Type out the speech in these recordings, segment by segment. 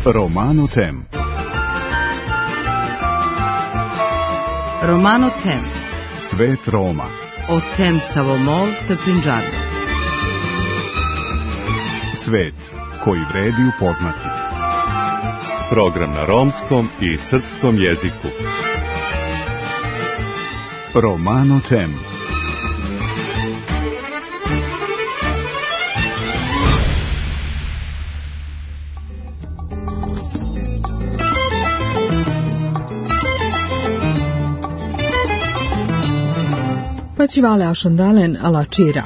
Romano Tem. Romano Tem. Svet Roma. O Tem Savomol te Pinđardo. Svet koji vredi upoznati. Program na romskom i srpskom jeziku. Romano Tem. Pačivale ašondalen alači rat.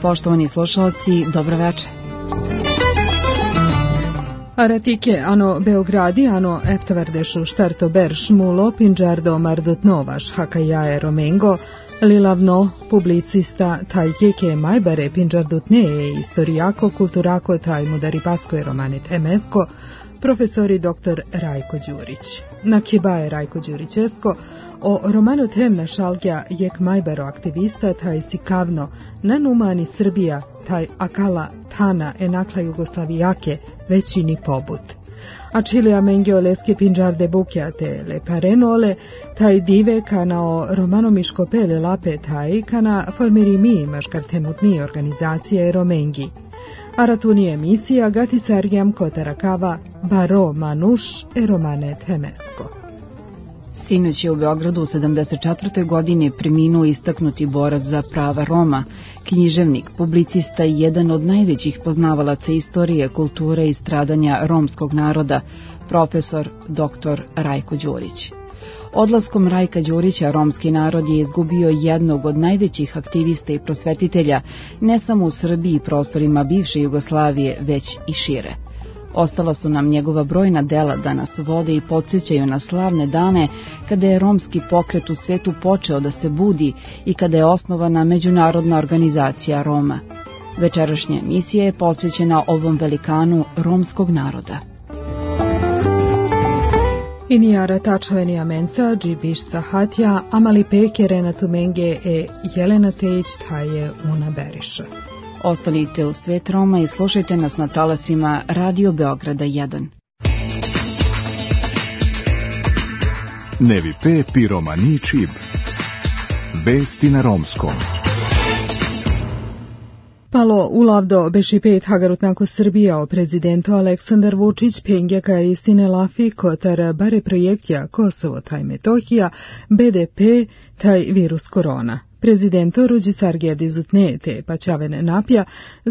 Poštovani slušalci, dobro večer. Aratike ano Beogradi ano eftavardešu štarto berš mulo Pinđardo mardot novaš hakajae romengo lilavno publicista taj keke majbare Pinđardot ne istorijako kulturako taj mudaripasko romane temesko profesori dr. Rajko Đurić. Na kibaje Rajko Đurićesko o romanu temna šalgja jek majbaro aktivista taj sikavno nanumani Srbija taj akala tana enakla Jugoslavijake većini pobut. A čilija mengio leske Pinđarde bukjate le parenole taj dive kana o romanomiško pele lape taj kana formiri mi maškar temutni organizacije romengi. A ratunije emisija gati sargjam kotarakava baro manuš e romane temesko. Sinoć je u Beogradu u 74. godini preminuo istaknuti borac za prava Roma, književnik, publicista i jedan od najvećih poznavalaca istorije, kulture i stradanja romskog naroda, profesor dr. Rajko Đurić. Odlaskom Rajka Đurića romski narod je izgubio jednog od najvećih aktivista i prosvetitelja, ne samo u Srbiji i prostorima bivše Jugoslavije, već i šire. Ostala su nam njegova brojna dela da nas vode i podsjećaju na slavne dane kada je romski pokret u svetu počeo da se budi i kada je osnovana Međunarodna organizacija Roma. Večerašnja emisija je posvećena ovom velikanu romskog naroda. Inijara tačavenija mensa, džibiš sahatja, amali peke Renatu Menge e Jelena Tejić taje una beriša. Ostanite u Svet Roma i slušajte nas na talasima Radio Beograda 1. Nevi pe piromani čib. Vesti na romskom. Palo ulavdo beši pet hagarutnako Srbija o prezidentu Aleksandar Vučić pengjaka istine lafi kotar bare projektja Kosovo taj Metohija BDP taj virus korona. Prezidento ruđi sargija dizutne te pačavene napja,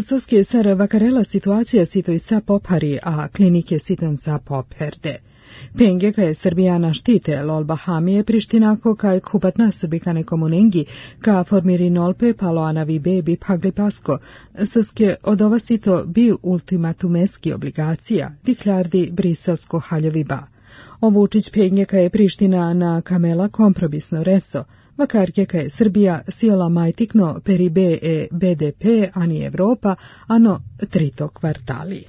soske sar vakarela situacija sitoj sa pophari, a klinike siton sa popherde. Pengjaka je Srbijana štite lol Bahamije Prištinako kaj kupatna srbikane komunengi ka formiri nolpe palo anavi bebi pagli pasko, soske od ova sito bi ultimatumeski obligacija, diklardi briselsko haljovi ba. O Vučić pengjaka je Priština na kamela kompromisno reso, vakarkeka je Srbija siola majtikno peribe e BDP ani Evropa, ano trito kvartali.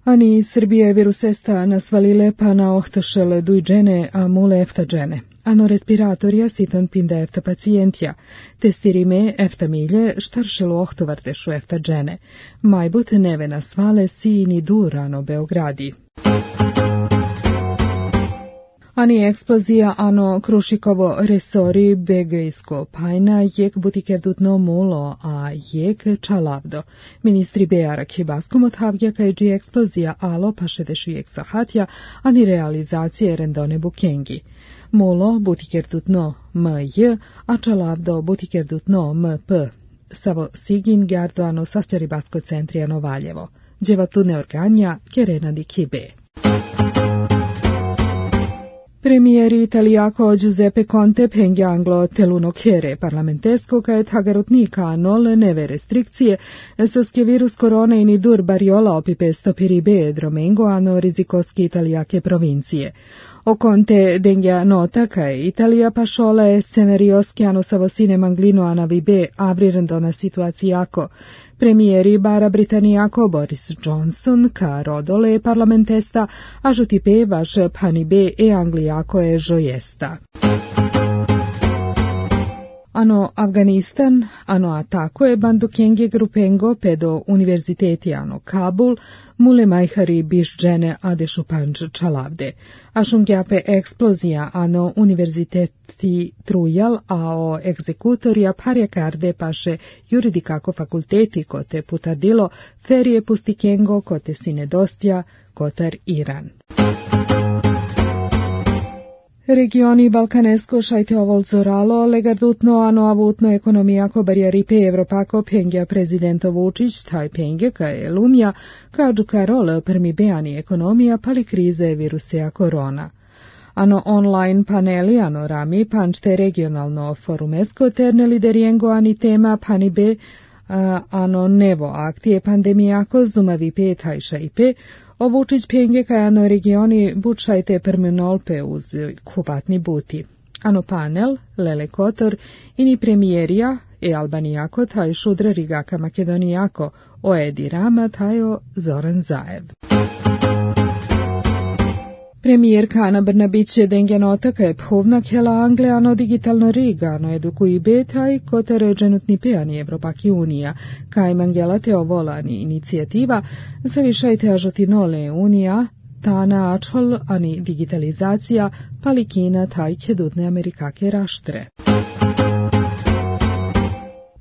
Ani Srbija je virusesta nasvalile pa na ohtošele dujđene a mule eftađene. Ano respiratorija siton pinda efta pacijentja, testirime efta milje štaršelu ohtovartešu eftađene. Majbut neve nasvale sini durano Beogradi. Ani eksplozija ano Krušikovo resori begejsko pajna jek butikerdutno mulo, a jek čalavdo. Ministri Beara Kibaskom odhavgja kaj dži eksplozija alo pa šedešu jek sahatja, ani realizacije rendone bukengi. Mulo butikerdutno mj, a čalavdo butikerdutno mp. Savo sigin gardo ano sastjaribasko centrijano Valjevo. Dževatune organja kerena di kibe. Premijer Italijako Giuseppe Conte pengja anglo teluno kjere parlamentesko kaj tagarutnika nol neve restrikcije soske virus korona ini dur bariola opipe stopiribe dromengo ano rizikoski italijake provincije. O conte degna nota che Italia pasciole scenarios che hanno savosine manglino a navibe avrirando una situaziako. Premijeri bara Britanijako Boris Johnson ka rodole parlamentesta ažutipe vaš panibe e Anglijako je žojesta. Ano Afganistan, ano atako je bandukenge grupengo pedo univerziteti ano Kabul, mule majhari biš džene adešu panč čalavde. Ašungjape eksplozija ano univerziteti trujal, a o egzekutorija parjakarde paše juridikako fakulteti kote putadilo, ferije pustikengo kote sinedostja, kotar Iran. Regioni Balkanesko šajte ovolzoralo, legardutno ano avutno ekonomijako barjaripe Evropako pengja prezidento Vučić, taj pengje ka je lumja, kažu karol prmi beani ekonomija pali krize virusija korona. Ano online paneli ano rami pančte regionalno forumesko terne lideriengo ani tema panibe ano nevo aktije pandemijako zumavipe tajša ipe, o Vučić penge kaj ano regioni bučajte permenolpe uz kupatni buti. Ano panel, Lele Kotor, ini premijerija e Albanijako taj šudra rigaka Makedonijako, o Edi Rama tajo Zoran Zaev. Premijerka Ana Brnabić je dengenota kaj phovna kjela Angleano digitalno rigano edukuji betaj kotere dženutni pejani Evropaki unija, kaj mangelate ovolani inicijativa, zavišajte ažotinole unija, tana ačol ani digitalizacija, palikina taj kedutne Amerikake raštre.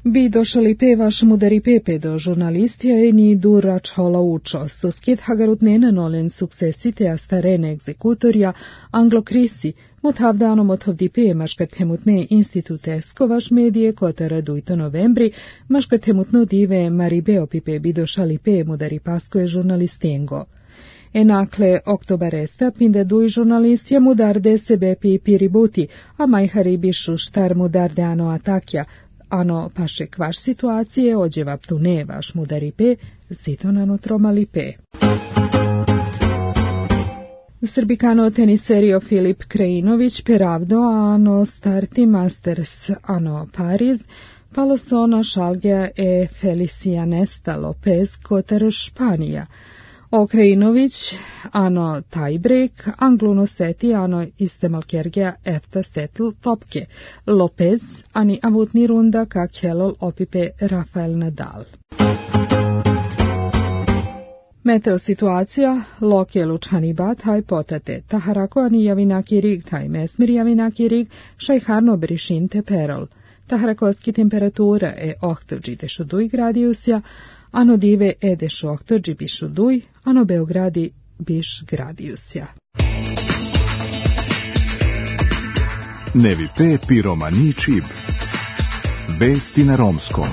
Bi došali pevaš mudari pepe do žurnalistija i ni dura čhola učo, susket hagarutnene nolen suksesite a starene egzekutorja, anglokrisi, motavdano motovdi maškatemutne institutesko vaš medije kotara dujto novembri, maškatemutno dive maribeo pipe bi došali pe mudari paskoje žurnalistengo. Enakle oktobaresta pinde duj žurnalistja mudarde sebe pi piributi, a majhari bišu štar mudarde ano atakja, ano paše kvaš situacije ođeva ptune vaš mudaripe, zitonano tromalipe. Srbikano teniserio Filip Krajinović peravdo ano starti Masters ano Pariz, palosono šalgja e Felicianesta Lopez kotar Španija. O Krajinović ano tiebreak, Angluno seti ano istemalkergja efta setl topke, Lopez ani avutni runda ka kjelol opipe Rafael Nadal. Meteo situacija, lokje lučani bat haj potate, taharako ani javinaki rig taj mesmir javinaki rig, šajharno brišinte perol. Taharakoski temperatura e 8 gradiusja, ano dive edeš 8 bišu duj, ano Beogradi biš gradiusja. Nevi pe piromani čib. Vesti na romskom.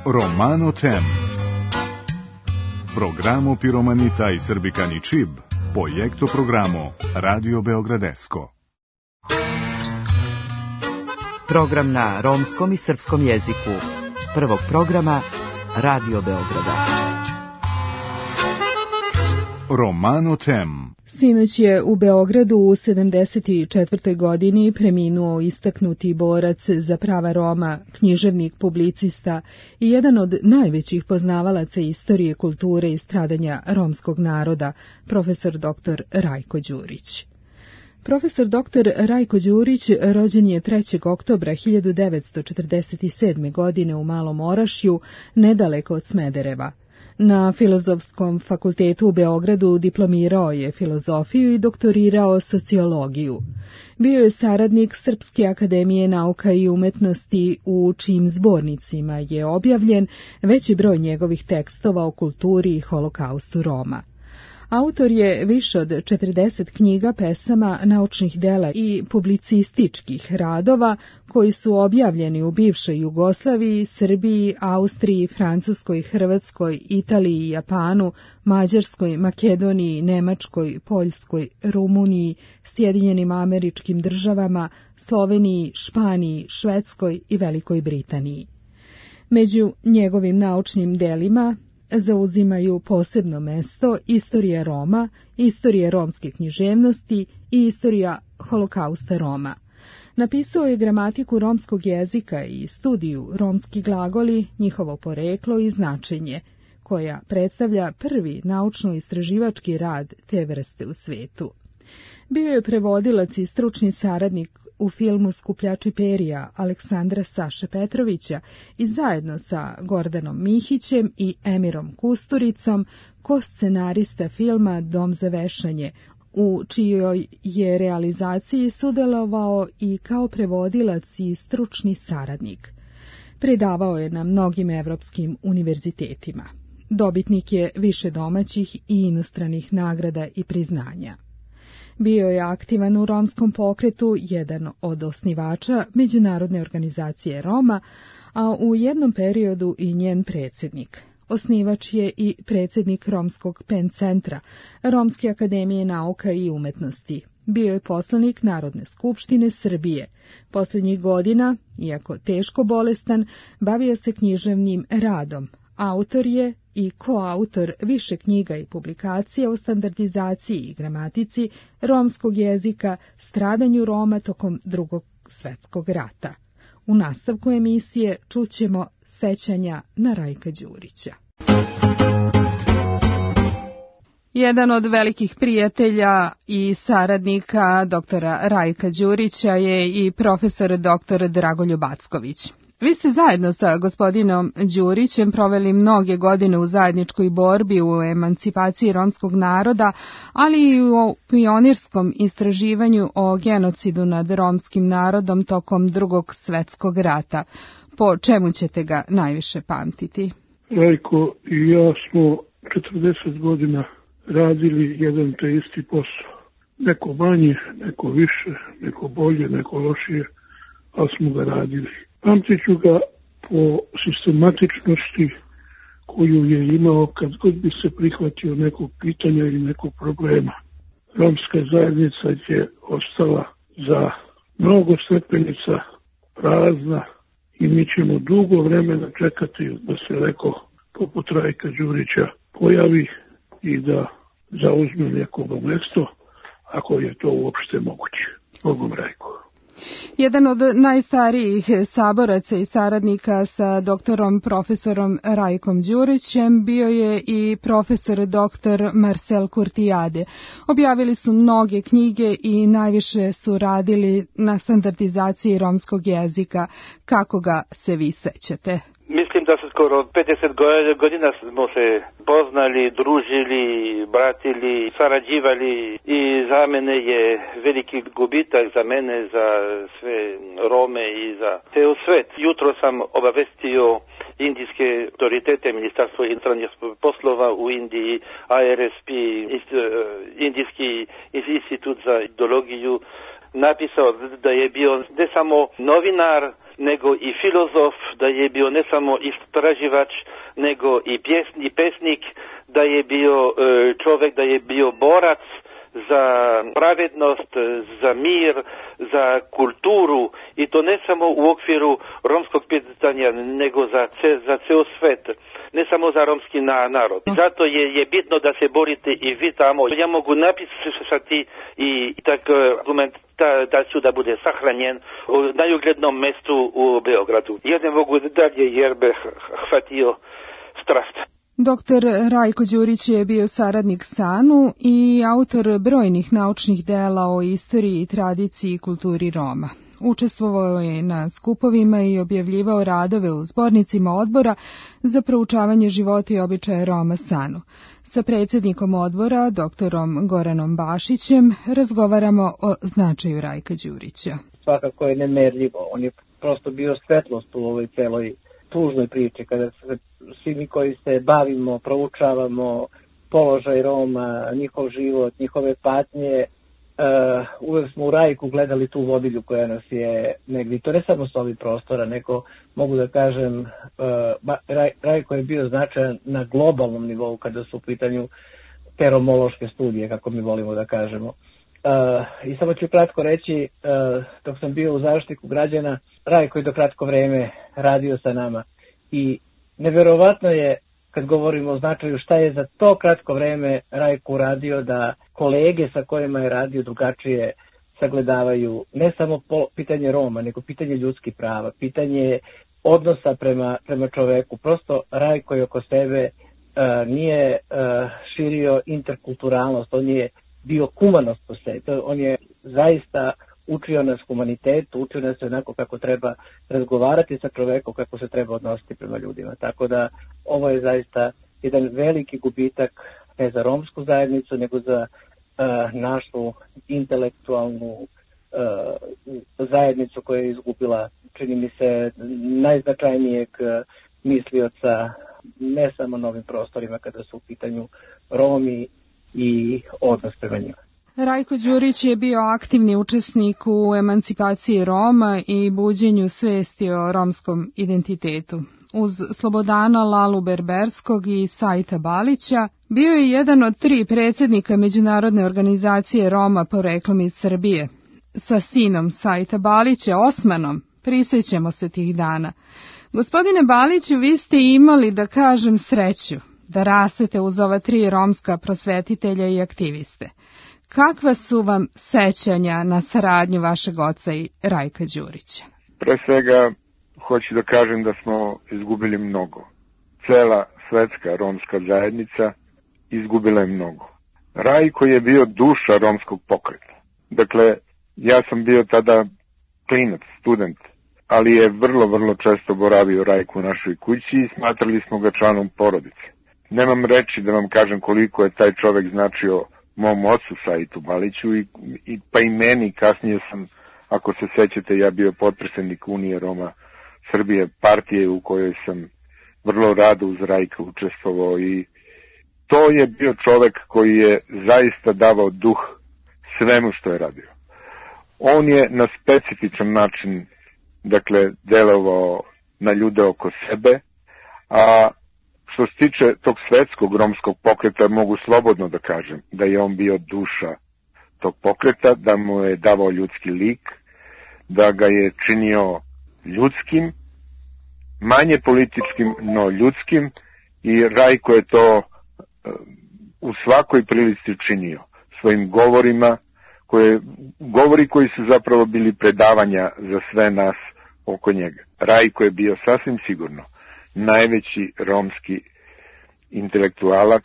Romano Tem. Programo Piromanita i Srbikani Čib, projekto programo Radio Beogradesko. Program na romskom i srpskom jeziku. Prvog programa Radio Beograda. Romano Tem. Sinoć je u Beogradu u 74. godini preminuo istaknuti borac za prava Roma, književnik, publicista i jedan od najvećih poznavalaca istorije, kulture i stradanja romskog naroda, profesor dr. Rajko Đurić. Profesor dr. Rajko Đurić rođen je 3. oktobra 1947. godine u Malom Orašju, nedaleko od Smedereva. Na Filozofskom fakultetu u Beogradu diplomirao je filozofiju i doktorirao sociologiju. Bio je saradnik Srpske akademije nauka i umetnosti, u čijim zbornicima je objavljen veći broj njegovih tekstova o kulturi i holokaustu Roma. Autor je više od 40 knjiga, pesama, naučnih dela i publicističkih radova koji su objavljeni u bivšoj Jugoslaviji, Srbiji, Austriji, Francuskoj, Hrvatskoj, Italiji, Japanu, Mađarskoj, Makedoniji, Nemačkoj, Poljskoj, Rumuniji, Sjedinjenim Američkim Državama, Sloveniji, Španiji, Švedskoj i Velikoj Britaniji. Među njegovim naučnim delima zauzimaju posebno mesto istorija Roma, istorija romske književnosti i istorija holokausta Roma. Napisao je gramatiku romskog jezika i studiju romski glagoli, njihovo poreklo i značenje, koja predstavlja prvi naučno-istraživački rad te vrste u svetu. Bio je prevodilac i stručni saradnik u filmu Skupljači perija Aleksandra Saše Petrovića i zajedno sa Gordanom Mihićem i Emirom Kusturicom koscenarista filma Dom za vešanje, u čijoj je realizaciji sudjelovao i kao prevodilac i stručni saradnik. Predavao je na mnogim evropskim univerzitetima. Dobitnik je više domaćih i inostranih nagrada i priznanja. Bio je aktivan u romskom pokretu, jedan od osnivača Međunarodne organizacije Roma, a u jednom periodu i njen predsjednik. Osnivač je i predsjednik Romskog PEN centra, Romske akademije nauka i umetnosti. Bio je poslanik Narodne skupštine Srbije. Posljednjih godina, iako teško bolestan, bavio se književnim radom. Autor je i koautor više knjiga i publikacija o standardizaciji i gramatici romskog jezika, stradanju Roma tokom Drugog svjetskog rata. U nastavku emisije čućemo sećanja na Rajka Đurića. Jedan od velikih prijatelja i saradnika doktora Rajka Đurića je i profesor dr. Dragoljub Acković. Vi ste zajedno sa gospodinom Đurićem proveli mnoge godine u zajedničkoj borbi u emancipaciji romskog naroda, ali i u pionirskom istraživanju o genocidu nad romskim narodom tokom Drugog svjetskog rata. Po čemu ćete ga najviše pamtiti? Rajko i ja smo 40 godina radili jedan te isti posao. Neko manje, neko više, neko bolje, neko lošije, ali smo ga radili. Pamtit ću ga po sistematičnosti koju je imao kad god bi se prihvatio nekog pitanja ili nekog problema. Romska zajednica je ostala za mnogo stepenica prazna i mi ćemo dugo vremena čekati da se neko poput Rajka Đurića pojavi i da zauzme nekoga mjesto, ako je to uopšte moguće. Bogom Rajko. Jedan od najstarijih saboraca i saradnika sa doktorom profesorom Rajkom Đurićem bio je i profesor dr. Marcel Kurtijade. Objavili su mnoge knjige i najviše su radili na standardizaciji romskog jezika. Kako ga se vi sećate? Mislim da se skoro 50 godina smo se poznali, družili, bratili, sarađivali i za mene je veliki gubitak, za mene, za sve Rome i za ceo svet. Jutro sam obavestio indijske autoritete, Ministarstvo inostranih poslova u Indiji, IRSP, Indijski institut za ideologiju, napisao da je bio ne samo novinar, nego i filozof, da je bio ne samo istraživač, nego i pesnik, da je bio čovjek, da je bio borac za pravednost, za mir, za kulturu i to ne samo u okviru romskog pitanja, nego za ceo svet, ne samo za romski narod. Zato je bitno da se borite i vi tamo. Ja mogu napisati i tak argument da ću da bude sahranjen u najuglednom mestu u Beogradu. Ja ne mogu dalje jer bih hvatio strast. Dr. Rajko Đurić je bio saradnik SANU i autor brojnih naučnih dela o istoriji, tradiciji i kulturi Roma. Učestvovao je na skupovima i objavljivao radove u zbornicima odbora za proučavanje života i običaja Roma SANU. Sa predsjednikom odbora, doktorom Goranom Bašićem, razgovaramo o značaju Rajka Đurića. Svakako je nemerljivo. On je prosto bio svetlost u ovoj celoj tužnoj priči, kada se svi mi koji se bavimo, proučavamo položaj Roma, njihov život, njihove patnje, uvek smo u Rajku gledali tu vodilju koja nas je negdje, to ne samo s ovih prostora, nego mogu da kažem, Rajko je bio značajan na globalnom nivou kada su u pitanju te romološke studije, kako mi volimo da kažemo. I samo ću kratko reći, dok sam bio u Zaštitniku građana, Rajko je do kratko vreme radio sa nama i neverovatno je, kad govorimo o značaju, šta je za to kratko vreme Rajko uradio da kolege sa kojima je radio drugačije sagledavaju ne samo pitanje Roma, nego pitanje ljudskih prava, pitanje odnosa prema čoveku. Prosto Rajko je oko sebe nije širio interkulturalnost, on je bio humanost po sebi. On je zaista učio nas humanitetu, učio nas onako kako treba razgovarati sa čovekom, kako se treba odnositi prema ljudima. Tako da ovo je zaista jedan veliki gubitak ne za romsku zajednicu, nego za našu intelektualnu zajednicu koja je izgubila, čini mi se, najznačajnijeg mislioca ne samo na ovim prostorima kada su u pitanju Romi i odnos prema njima. Rajko Đurić je bio aktivni učesnik u emancipaciji Roma i buđenju svesti o romskom identitetu. Uz Slobodana Lalu Berberskog i Sajta Balića bio je jedan od 3 predsjednika Međunarodne organizacije Roma poreklom iz Srbije. Sa sinom Sajta Balića, Osmanom, prisjećamo se tih dana. Gospodine Baliću, vi ste imali, da kažem, sreću da rastete uz ova 3 romska prosvetitelja i aktiviste. Kakva su vam sećanja na saradnju vašeg oca i Rajka Đurića? Pre svega, hoću da kažem da smo izgubili mnogo. Cela svetska romska zajednica izgubila je mnogo. Rajko je bio duša romskog pokreta. Dakle, ja sam bio tada klinac, student, ali je vrlo često boravio Rajko u našoj kući i smatrali smo ga članom porodice. Nemam reči da vam kažem koliko je taj čovek značio mom ocu Sajtu Baliću pa i meni. Kasnije sam, ako se sećate, ja bio potpredsjednik Unije Roma Srbije, partije u kojoj sam vrlo rado uz Rajka učestvovao i to je bio čovek koji je zaista davao duh svemu što je radio. On je na specifičan način, dakle, delovao na ljude oko sebe, a što se tiče tog svetskog romskog pokreta, mogu slobodno da kažem da je on bio duša tog pokreta, da mu je davao ljudski lik, da ga je činio ljudskim, manje političkim, no ljudskim, i Rajko je to u svakoj prilici činio svojim govorima, govori koji su zapravo bili predavanja za sve nas oko njega. Rajko je bio sasvim sigurno najveći romski intelektualac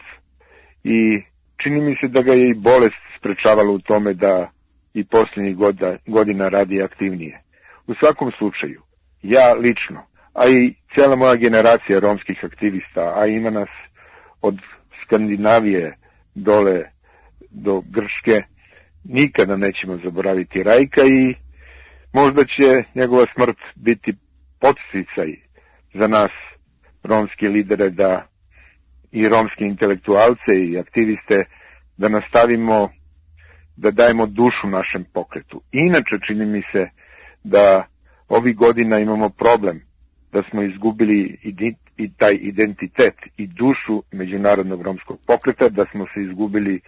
i čini mi se da ga je i bolest sprečavala u tome da i posljednjih godina radi aktivnije. U svakom slučaju, ja lično, a i cijela moja generacija romskih aktivista, a ima nas od Skandinavije dole do Grčke, nikada nećemo zaboraviti Rajka i možda će njegova smrt biti podsticaj za nas romske lidere da i romske intelektualce i aktiviste da nastavimo da dajemo dušu našem pokretu. Inače čini mi se da ovih godina imamo problem da smo izgubili i taj identitet i dušu međunarodnog romskog pokreta, da smo se izgubili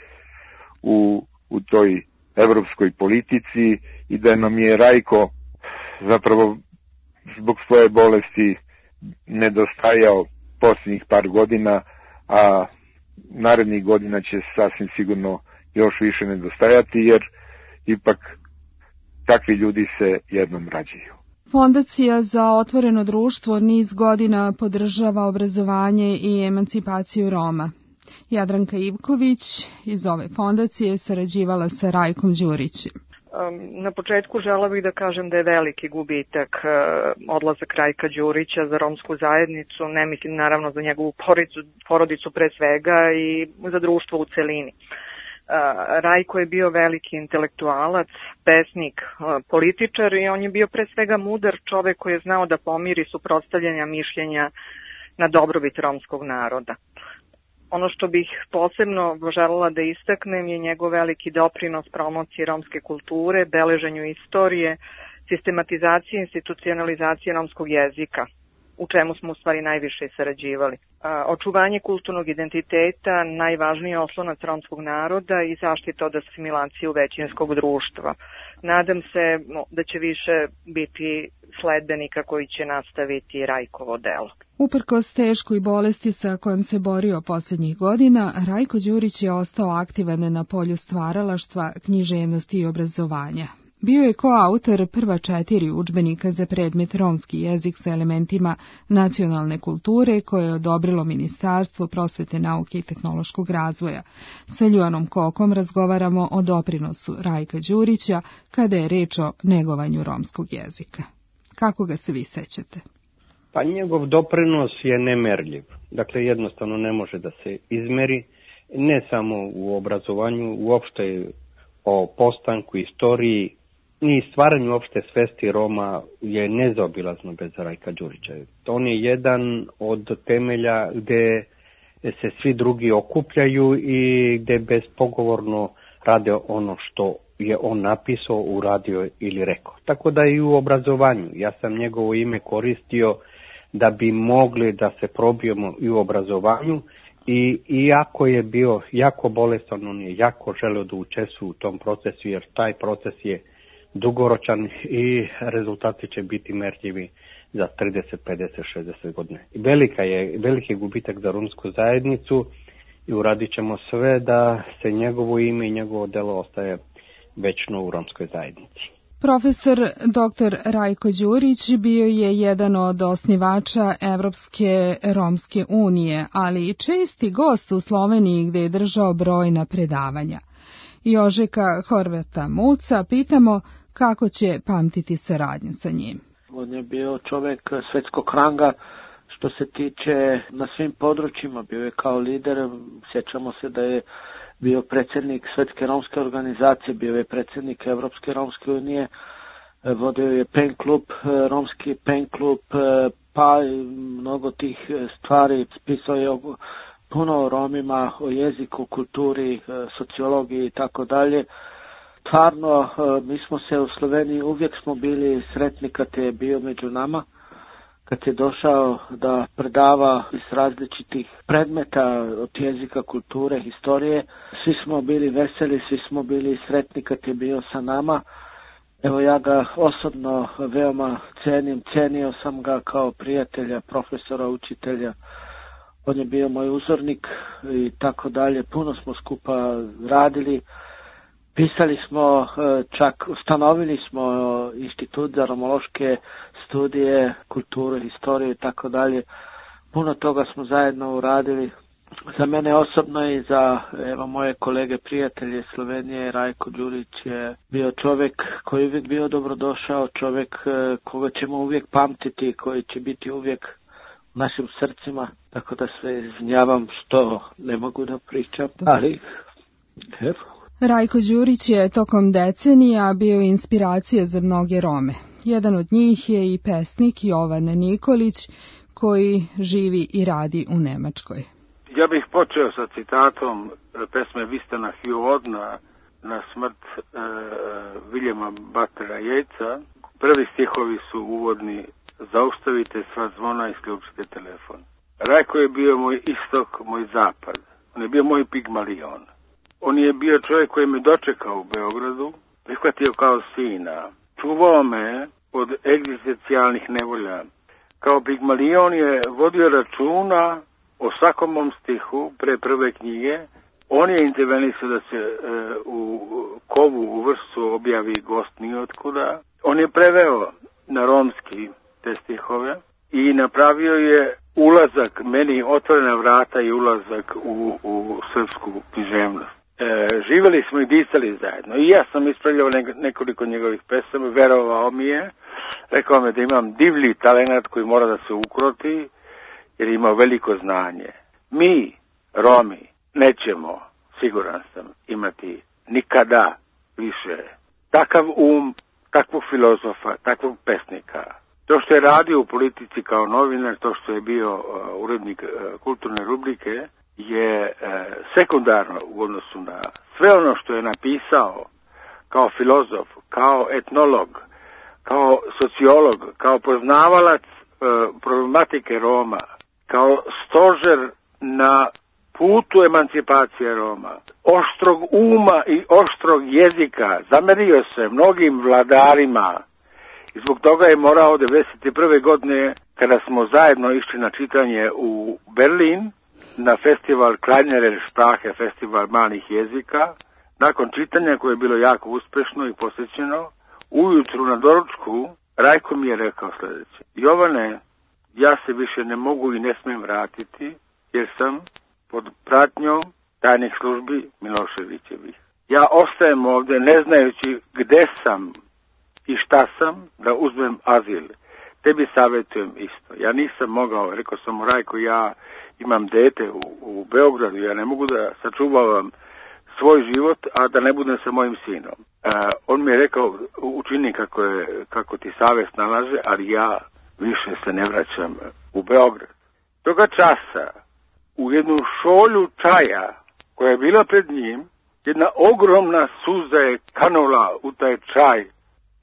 u u toj evropskoj politici i da nam je Rajko zapravo zbog svoje bolesti nedostajao posljednjih par godina, a narednih godina će sasvim sigurno još više nedostajati, jer ipak takvi ljudi se jednom rađaju. Fondacija za otvoreno društvo niz godina podržava obrazovanje i emancipaciju Roma. Jadranka Ivković iz ove fondacije sarađivala sa Rajkom Đurićem. Na početku žela bih da kažem da je veliki gubitak odlazak Rajka Đurića za romsku zajednicu, ne mislim naravno za njegovu porodicu pre svega i za društvo u celini. Rajko je bio veliki intelektualac, pesnik, političar i on je bio pre svega mudar čovek koji je znao da pomiri suprotstavljanja mišljenja na dobrobit romskog naroda. Ono što bih posebno želela da istaknem je njegov veliki doprinos promociji romske kulture, beleženju istorije, sistematizaciji i institucionalizaciji romskog jezika, u čemu smo u stvari najviše sarađivali. Očuvanje kulturnog identiteta, najvažniji oslonac romskog naroda i zaštita od asimilaciju većinskog društva. Nadam se da će više biti sledbenika koji će nastaviti Rajkovo delo. Uprkos teškoj bolesti sa kojom se borio posljednjih godina, Rajko Đurić je ostao aktivan na polju stvaralaštva, književnosti i obrazovanja. Bio je koautor prva 4 udžbenika za predmet romski jezik sa elementima nacionalne kulture koje je odobrilo Ministarstvo prosvete, nauke i tehnološkog razvoja. Sa Ljuanom Kokom razgovaramo o doprinosu Rajka Đurića kada je reč o negovanju romskog jezika. Kako ga se vi sećate? Pa njegov doprinos je nemerljiv. Dakle, jednostavno ne može da se izmeri, ne samo u obrazovanju, uopšte o postanku, istoriji, i stvaranju opšte svesti Roma je nezaobilazno bez Rajka Đurića. On je jedan od temelja gde se svi drugi okupljaju i gde bezpogovorno rade ono što je on napisao, uradio ili rekao. Tako da i u obrazovanju. Ja sam njegovo ime koristio da bi mogli da se probijemo i u obrazovanju i iako je bio jako bolestan, on je jako želeo da učestvuje u tom procesu, jer taj proces je dugoročan i rezultati će biti merljivi za 30, 50, 60 godina. Veliki gubitak za romsku zajednicu i uradit ćemo sve da se njegovo ime i njegovo delo ostaje večno u romskoj zajednici. Profesor dr. Rajko Đurić bio je jedan od osnivača Evropske romske unije, ali i česti gost u Sloveniji gde je držao brojna predavanja. Jožeka Horvata Muca pitamo kako će pamtiti saradnju sa njim. On je bio čovjek svetskog ranga što se tiče na svim područjima, bio je kao lider, sjećamo se da je bio predsjednik Svetske romske organizacije, bio je predsjednik Evropske romske unije, vodio je pen klub, romski pen klub, pa mnogo tih stvari, pisao je puno o Romima, o jeziku, kulturi, sociologiji i tako dalje. Stvarno, mi smo se u Sloveniji uvijek smo bili sretni kad je bio među nama, kad je došao da predava iz različitih predmeta od jezika, kulture, historije. Svi smo bili veseli, svi smo bili sretni kad je bio sa nama. Evo, ja ga osobno veoma cenim, cenio sam ga kao prijatelja, profesora, učitelja. On je bio moj uzornik i tako dalje. Puno smo skupa radili. Pisali smo, čak ustanovili smo institut za romološke studije, kulturu, historiju i tako dalje. Puno toga smo zajedno uradili. Za mene osobno i za moje kolege, prijatelje Slovenije, Rajko Đurić je bio čovjek koji je uvijek bio dobrodošao, čovjek koga ćemo uvijek pamtiti, koji će biti uvijek u našim srcima. Tako da se izvinjavam što ne mogu da pričam, ali evo. Rajko Đurić je tokom decenija bio inspiracija za mnoge Rome. Jedan od njih je i pesnik Jovan Nikolić, koji živi i radi u Nemačkoj. Ja bih počeo sa citatom pesme Vistana Hjuvod na smrt Viljama Batera Jejca. Prvi stihovi su uvodni: zaustavite sva zvona i isključite telefon. Rajko je bio moj istok, moj zapad. On je bio moj Pigmalion. On je bio čovjek koji me dočekao u Beogradu, prihvatio kao sina. Čuvao me od egzistencijalnih nevolja. Kao Pigmalion je vodio računa o svakom mom stihu pre prve knjige. On je intervenisao da se u Kovu u Vršcu objavi Gost nijotkuda. On je preveo na romski te stihove i napravio je ulazak, meni otvorena vrata i ulazak u srpsku književnost. Živjeli smo i disali zajedno. I ja sam ispravljao nekoliko njegovih pesama, verovao mi je, rekao mi da imam divlji talenat koji mora da se ukroti, jer ima veliko znanje. Mi, Romi, nećemo, siguran sam, imati nikada više takav takvog filozofa, takvog pesnika. To što je radio u politici kao novinar, to što je bio urednik kulturne rubrike, je sekundarno u odnosu na sve ono što je napisao kao filozof, kao etnolog, kao sociolog, kao poznavalac problematike Roma, kao stožer na putu emancipacije Roma, oštrog uma i oštrog jezika, zamerio se mnogim vladarima i zbog toga je morao 1991. godine, kada smo zajedno išli na čitanje u Berlin, na festival Kleinerer Sprache, festival malih jezika, nakon čitanja koje je bilo jako uspešno i posjećeno, ujutru na doručku Rajko mi je rekao sljedeće: Jovane, ja se više ne mogu i ne smijem vratiti, jer sam pod pratnjom tajnih službi Miloševićevih. Ja ostajem ovdje ne znajući gde sam i šta sam, da uzmem azil. Tebi savjetujem isto. Ja nisam mogao, rekao sam mu: Rajko, ja imam dete u Beogradu, ja ne mogu da sačuvavam svoj život, a da ne budem sa mojim sinom. On mi je rekao: učini kako ti savjest nalaže, ali ja više se ne vraćam u Beograd. Toga časa u jednu šolju čaja koja je bila pred njim, jedna ogromna suza je kanula u taj čaj,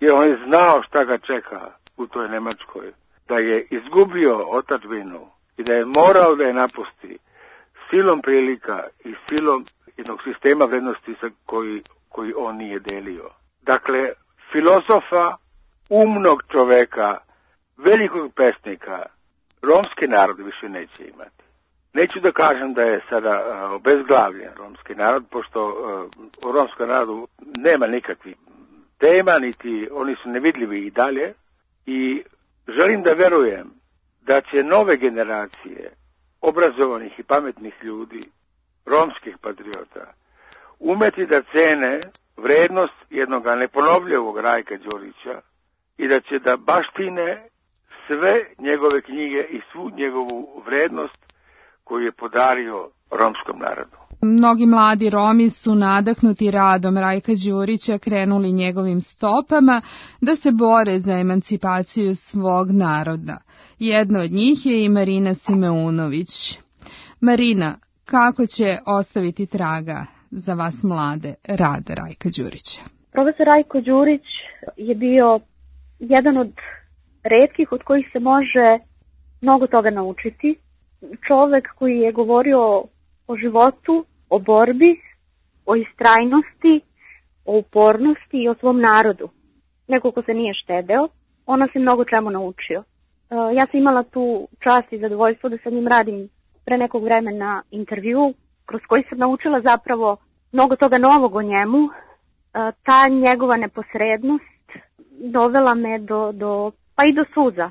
jer on je znao šta ga čeka u toj Nemačkoj, da je izgubio otadžbinu i da je morao da je napusti silom prilika i silom jednog sistema vrednosti koji on nije delio. Dakle, filozofa, umnog čoveka, velikog pesnika, romski narod više neće imati. Neću da kažem da je sada obezglavljen romski narod, pošto u romskom narodu nema nikakvih tema, niti oni su nevidljivi i dalje, i želim da verujem da će nove generacije obrazovanih i pametnih ljudi, romskih patriota, umeti da cene vrednost jednog neponovljivog Rajka Đurića i da će da baštine sve njegove knjige i svu njegovu vrednost koju je podario romskom narodu. Mnogi mladi Romi su nadahnuti radom Rajka Đurića krenuli njegovim stopama da se bore za emancipaciju svog naroda. Jedna od njih je i Marina Simeunović. Marina, kako će ostaviti traga za vas mlade rad Rajka Đurića? Profesor Rajko Đurić je bio jedan od retkih od kojih se može mnogo toga naučiti. Čovek koji je govorio o životu, o borbi, o istrajnosti, o upornosti i o svom narodu. Neko ko se nije štedeo, on nas je mnogo čemu naučio. Ja sam imala tu čast i zadovoljstvo da sa njim radim pre nekog vremena intervju, kroz koji sam naučila zapravo mnogo toga novog o njemu. Ta njegova neposrednost dovela me pa i do suza.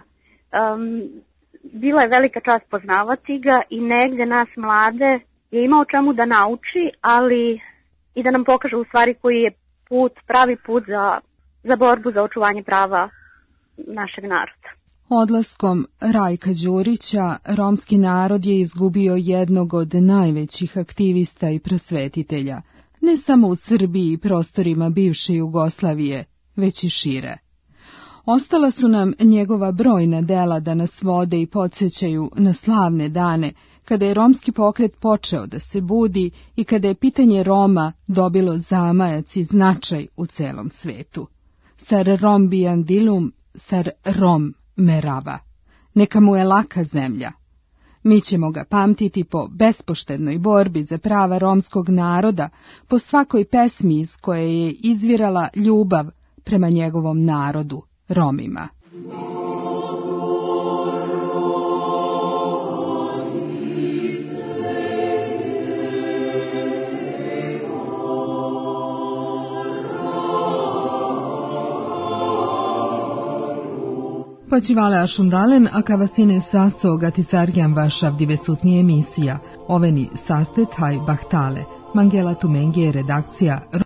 Bila je velika čast poznavati ga i negde nas mlade je imao čemu da nauči, ali i da nam pokaže u stvari koji je pravi put za borbu za očuvanje prava našeg naroda. Odlaskom Rajka Đurića, romski narod je izgubio jednog od najvećih aktivista i prosvetitelja, ne samo u Srbiji i prostorima bivše Jugoslavije, već i šire. Ostala su nam njegova brojna dela da nas vode i podsjećaju na slavne dane, kada je romski pokret počeo da se budi i kada je pitanje Roma dobilo zamajac i značaj u celom svetu. Sar Rom biandilum, sar Rom merava. Neka mu je laka zemlja. Mi ćemo ga pamtiti po bespoštednoj borbi za prava romskog naroda, po svakoj pesmi iz koje je izvirala ljubav prema njegovom narodu, Romima. Počivale ašundalen, a kavasine saso gatisarjan vašav divesutnije emisija. Oveni sastet haj bahtale. Mangela Tumengi je redakcija.